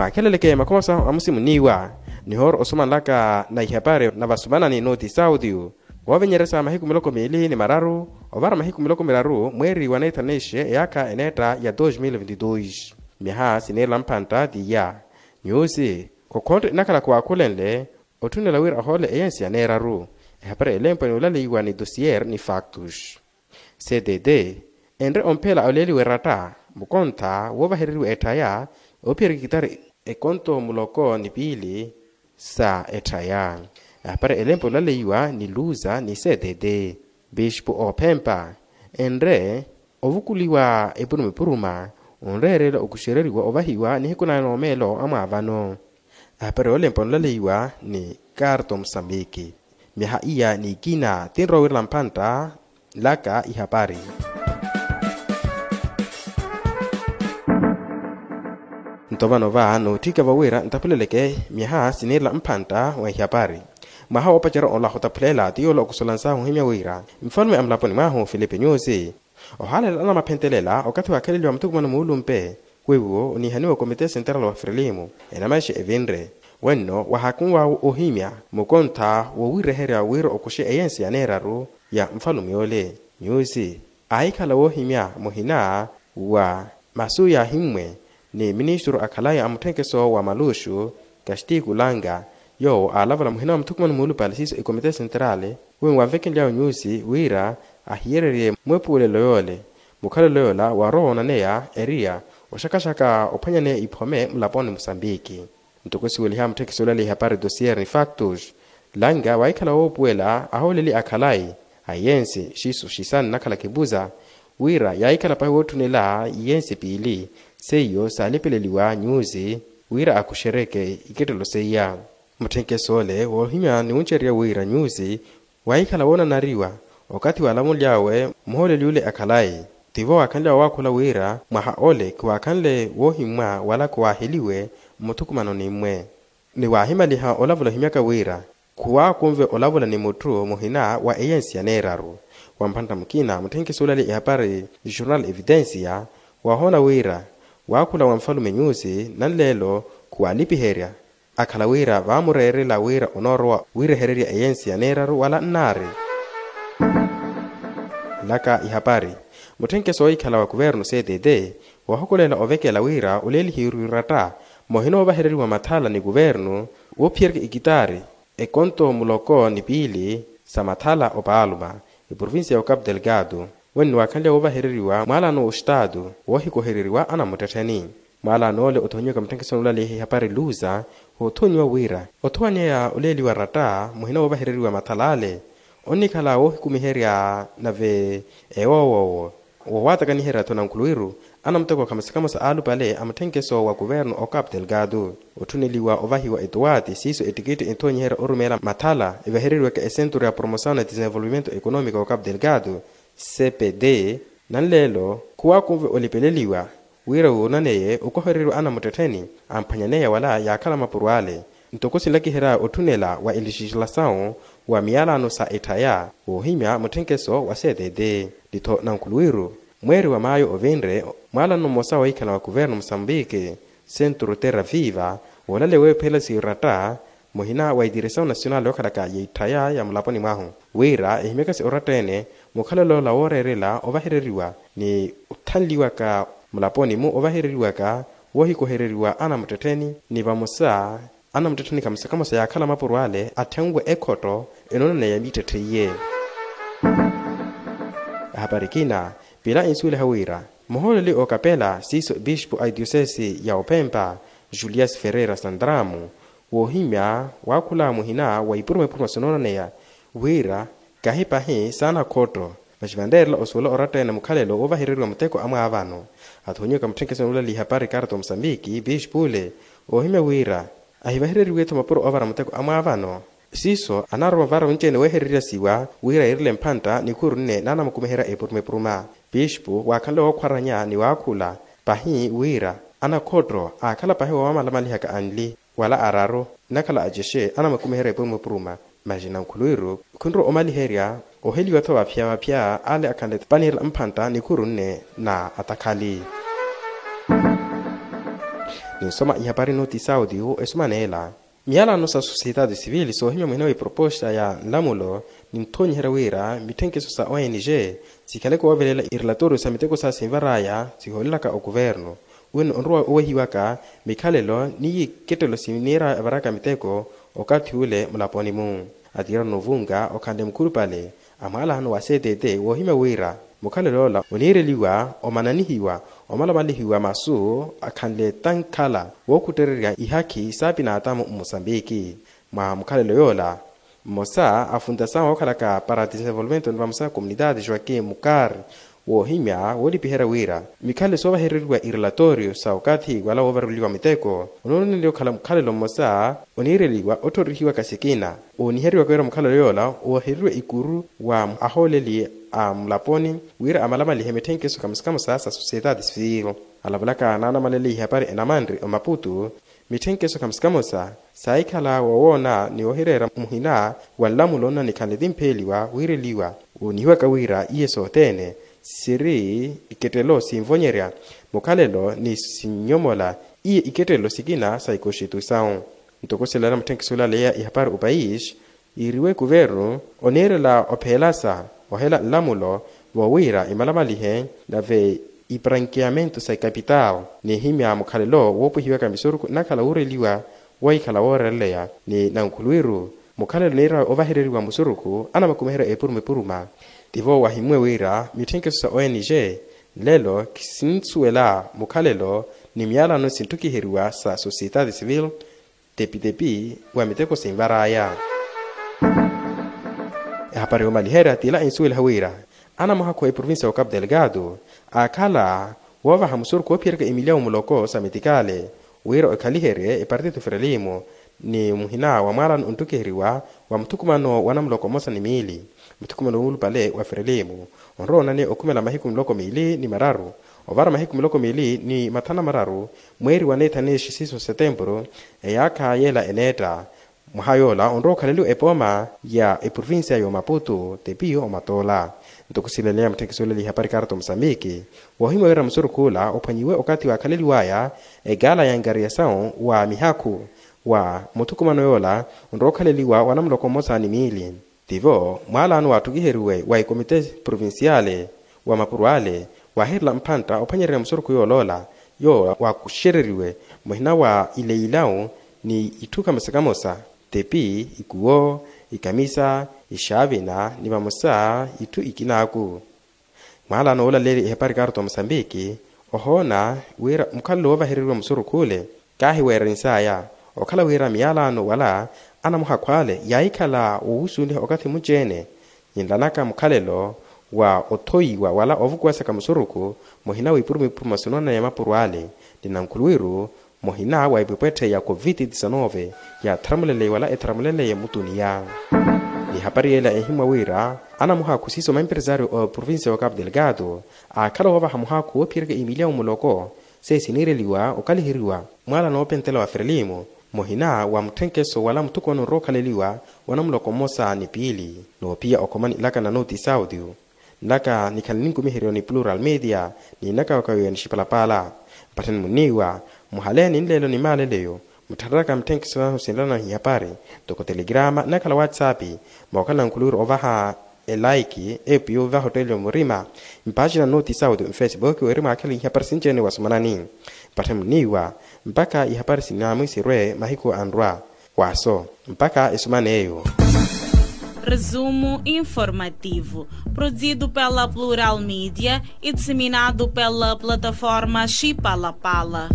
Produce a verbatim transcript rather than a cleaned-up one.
Paakheleleke makhomaso amusimuniiwa nihooro osumanlaka na ihapari na vasumanani nooti sauti. Woovenyeresa mahiku miloko miili ni mararu ovara mahiku miloko miraru mweeri wa neethanixe eyaakha eneetta ya dos mil vinti dos. Myaha siniirela mpantta tiya nyuusi khokhontte inakhala khuwaakhulenle otthunela wira ohoole eyensi ya neeraru. Ehapari elempo ni olaleiwa ni dosier ni factus. Ctt enre ompheela oleeliwa eratta mukontha woovahereriwa etthaya ophiyerya ekitari ekonto muloko ni piili sa etthaya. Ehapari elempo olaleiwa ni luza ni ctt bishipu oophempa enre ovukuliwa epuruma epuruma onreerela okuxereriwa ovahiwa nihiku na noomeelo amwaavano. Ahapari olempa onlaleiwa ni karto musambiki. Myaha iya ni ikina tinrowa wirela mpantta nlaka ihapari. Nto vano va nootthika vawira ntapuleleke myaha siniirela mpantta wa ihapari. Mwaha woopacerya ola hutaphulela ti yoola okusolansahu ohimya wira nfalume a mulaponi mwahu filipe nyusi ohaalela anamaphentelela okathi waakheleliwa muthukumano muulumpe weiwo oniihaniwa komite senteral wa frilimu enamaixe evinre. Wenno wahaakunwawo ohimya mukontha wowireherya wira okuxe eyensi ya neeraru ya nfalume ole nyusi aahikhala woohimya muhina wa masu yaahimmwe ni ministru akhalayi a mutthenkeso wa maluxu kastiku langa yoowo aalavula muhina wa muthukumano muulupale siiso ekomite senteral wenwe wanvekenly'awe nyusi wira ahiyererye mwepuwelelo yoole mukhalelo yoola waarowa woonaneya eriya oxakaxaka ophwanyaneya iphome mulaponi musambiki. Ntoko siweliha mutthekiso olaleya ihapari dosier ni factus langa waahikhala woopuwela ahooleli akhalayi a iyensi xisu xisani nakhala kipuza wira yaahikhala pahi wootthunela iyensi piili seiyo saalipeleliwa nyusi wira akuxereke ikettelo seiya. Mutthenkeso ole woohimya ni wuncererya wira nyusi waahikhala woonanariwa okathi waalamuly'awe muhooleli ole akhalayi tivo waakhanly'awe owaakhula wira mwaha ole khiwaakhanle woohimmwa wala khiwaaheliwe mmuthukumanoni mmwe. Ni waahimaliha olavula ohimyaka wira khuwaakunve olavula ni mutthu muhina wa eyensi ya neeraru. Wa mphantta mukina mutthenkeso olaleya ihapari jornal evidencia waahoona wira waakhula wa nfalume nyusi nanleelo khuwaalipiherya akhala wira vaamureerela wira onoorowa wiirehererya eyensi ya neeraru wala nnaari. Nlaka ihapari mutthenkeso oohikhala wa kuvernu ctt wahukulela ovekela wira oleelihiwe iratta muhina woovahereriwa mathala ni kuvernu woophiyerya ikitaari ekonto muloko ni piili sa mathala opaaluma eprovincia ya ocapo delgado. Wenno waakhanlya woovahereriwa mwaalaano wa ostaatu woohikohereriwa anamuttettheni. Mwaalaano ole othoonyiwaka mutthenkesoni olaleya ihapari luza woothoonyiwa wira othowanyeya oleeliwa ratta muhina woovahereriwa mathala ale onnikhala woohikumiherya nave ewoowoowo wowaatakaniherya-tho nankhuluwiru anamuteko khamosa khamosa aalupale a mutthenkeso wa kuvernu ocapo delgado. Otthuneliwa ovahiwa etuwaati siiso ettikitti enthoonyiherya orumeela mathala evahereriwaka esenturu ya promosawu na desenvolvimento economico ocapo delgado cpd. Nanleelo khuwaakunve olipeleliwa wira woonaneye okohereriwa anamuttettheni amphwanyaneya wala yaakhala mapuro ale. Ntoko sinlakiherya otthunela wa elixixalasawu wa miyalaano sa etthaya woohimya mutthenkeso wa ctd. Ni-tho nankhuluwiru mweeri wa maayo ovinre mwaalano mmosa woohikhala wa kuvernu musambiki senturu terra viva woolaleya weephela siratta muhina wa itiresawu nasional yookhalaka yeitthaya ya mulaponi mwahu wira ehimyakasi oratta-ene mukhalelo ola wooreerela ovahereriwa ni othanliwaka mulaponi-mu ovahereriwaka woohikohereriwa anamuttettheni ni vamosa anamuttettheni khamosa khamosa yaakhala mapuro ale atthenwe ekhotto enoonaneya mittetthe iye. Ahapari kina pila insuweliha wira muhooleli okapela siiso bishipu a itiosesi ya ophempa julias ferreira sandramu woohimya waakhula muhina wa ipuruma ipuruma sinoonaneya wira kahi pahi saana khotto. Masi vanreerela osuwela oratta-ene mukhalelo woovahereriwa muteko amwaavano athoonyiwaka mutthenkeso noolaleya ihapari karto musambiki bishipu ole oohimya wira ahivahereriwe-tho mapuro oovara muteko amwaavano siiso anaaruma ovara onci-ene weehereryasiwa wira yiirele mphantta nikhuru nne naanamukumiherya epuruma epuruma. Bishipu waakhanle wookhwaranya ni waakhula pahi wira anakhotto aakhala pahi woomalamaliha ka anli wala araru nnakhala acexe anamukumiherya epuruma epuruma. Masi nankhuluwiru khunrowa omaliherya oheliwa-tho vaphya vaphya ale akhanle paniirela mphantta nikhuru nne na atakhali. Ninsoma ihapari noti sauti esumana ela. Miyalano sa sosiyetati sivili soohimya muhina wa iproposta ya nlamulo ninthonyiherya wira mitthenkeso sa ong sikhaleke woovelela irelatoriyo sa miteko sa sinvaraya sihoolelaka okuvernu wino onrowa owehiwaka mikhalelo ni ikettelo siniira evaraka miteko okathi ule mulaponi-mu. Atiira novunga okhanle mukhulupale a mwaalano wa ctt woohimya wira mukhalelo ola oniireliwa omananihiwa omalamalihiwa masu akhanle tankhala wookhuttererya ihakhi sa pinaatamu mmosambiki. Mwa mukhalelo yoola mmosa a fundasaw ookhalaka para desenvolvimento ni vamosa komunitati joaquim mukar woohimya woolipiherya wira mikhalelo soovahereriwa irelatoriyo sa okathi wala woovareliwa miteko onooneliwa okhala mukhalelo mmosa oniireliwa otthorihiwaka sikina ooniheriwaka wira mukhalelo yoola oohereriwa ikuru wa ahooleli a mulaponi wira amalamalihe mitthenkeso kamosa kamosa sa sosiyetati sivili. Alavulaka naanamalele ihapari enamanri omaputu mitthenkeso kamosa kamosa saahikhala wowoona ni wohireera muhina wa nlamulo nnanikhanle timpeeliwa wiireliwa woonihiwaka wira iye sothene siri ikettelo sinvonyerya mukhalelo ni sinnyomola iye ikettelo sikina sa ikonstituisaw. Ntoko silaana mutthenkeso olaleya ihapari opais yiiriwe kuvernu oniirela opheelasa ohela nlamulo voowiira imalamalihe nave iprankiamento sa ikapitaw nihimya mukhalelo woopwihiwaka misurukhu nnakhala wuureliwa wohikhala wooreleya ni nankhulwiru mukhalelo niira ovahereriwa musurukhu anamakumiherya epuruma epuruma. Tivo wahimmwe wira mitthenkeso sa ong nlelo kisinsuwela mukhalelo ni miyalano sintthukiheriwa sa sosiyetati sivili tepitepi wa miteko sinvaraya. Ehapari yoomaliherya t'ila ensuweliha wira anamuhakhu eprovincia wa capu delgado aakhala woovaha musurukhu oophiyeryaka emilyawu muloko sa metikale wira okhaliherye epartito ferelimu ni muhina wa mwaalano onttukiheriwa wa muthukumano wa namuloko mmosa ni miili. Muthukumano wuulupale wa ferelimu onrowa onani okhumela mahiku miloko miili ni mararu ovara mahiku miloko miili ni mathanu na mararu mweeri wa neethanexi siiso setempuru eyaakha yeela eneetta. Mwaha yoola onrowa okhaleliwa epooma ya eprovincia y'omaputu tepiyo omatoola. Ntoko silaleya mutthekiso oleli ihapari karto musambiki woohimya wira musurukhu ola ophwanyiwe okathi waakhaleliwaya egaala ya nkariyasawu wa mihakhu wa muthukumano yoola onrowa okhaleliwa wa namuloko mmosa ni miili. Tivo mwaalano waatthukiheriwe wa ekomite provinciale wa mapuro ale waaherela mphantta ophwanyererya musurukhu yooloola yoowa waakuxereriwe muhina wa ileilawu ni itthu kamosa kamosa tepi ikuwo ikamisa ixaavina ni vamosa itthu ikinaaku. Mwaalano woolaleerya ehepari karto musambiki ohoona wira mukhalelo woovahereriwa musurukhu ole kaahiweererinsaya okhala wira miyalano wala anamuhakhu ale yaahikhala wowusuweliha okathi muci-ene. Yinlanaka mukhalelo wa othoiwa wala ovukuwasaka musurukhu muhina wa ipuruma ipuruma sinoona ya mapuro ale ni nankhuluwiru muhina wa epwepwetthe ya covid disanove yaatharamuleleye wala etharamuleleye mutuniya. Ni hapari yeela ehimmwa wira anamuhakhu siiso maempresario a provincia wa capu delgado aakhala woovaha muhakhu woophiyeryaka imiliya wumuloko sesiniireliwa okaliheriwa mwaala noopentela wa ferelimu muhina wa mutthenkeso wala muthukumano onrowa okhaleliwa wa namuloko mmosa ni piili. Noophiya okhomani nlaka na noti saudio nlaka nikhala ninkumiheryo ni plural media ni nnakawakawiwa ni xipalapala. Mpattheni munniiwa muhaleya ni nleelo ni maaleleyo mutthareraka mitthenkeso nahu sinlana ihapari ntoko telegrama nnakhala whatsapp mookhala nankhuluwiru ovaha elaiki epu yoovaha otteeliwa murima mpaaxina noti saudio mfacebook weri mwaakhele ihapari sinci-ene wasomanani. Mpattheni munniiwa mpakha ihapari sinaamwi sirwe mahiku anrwa. Waso mpakha esuman'eyo. Resumo informativo, produzido pela Plural Media e disseminado pela plataforma Xipalapala.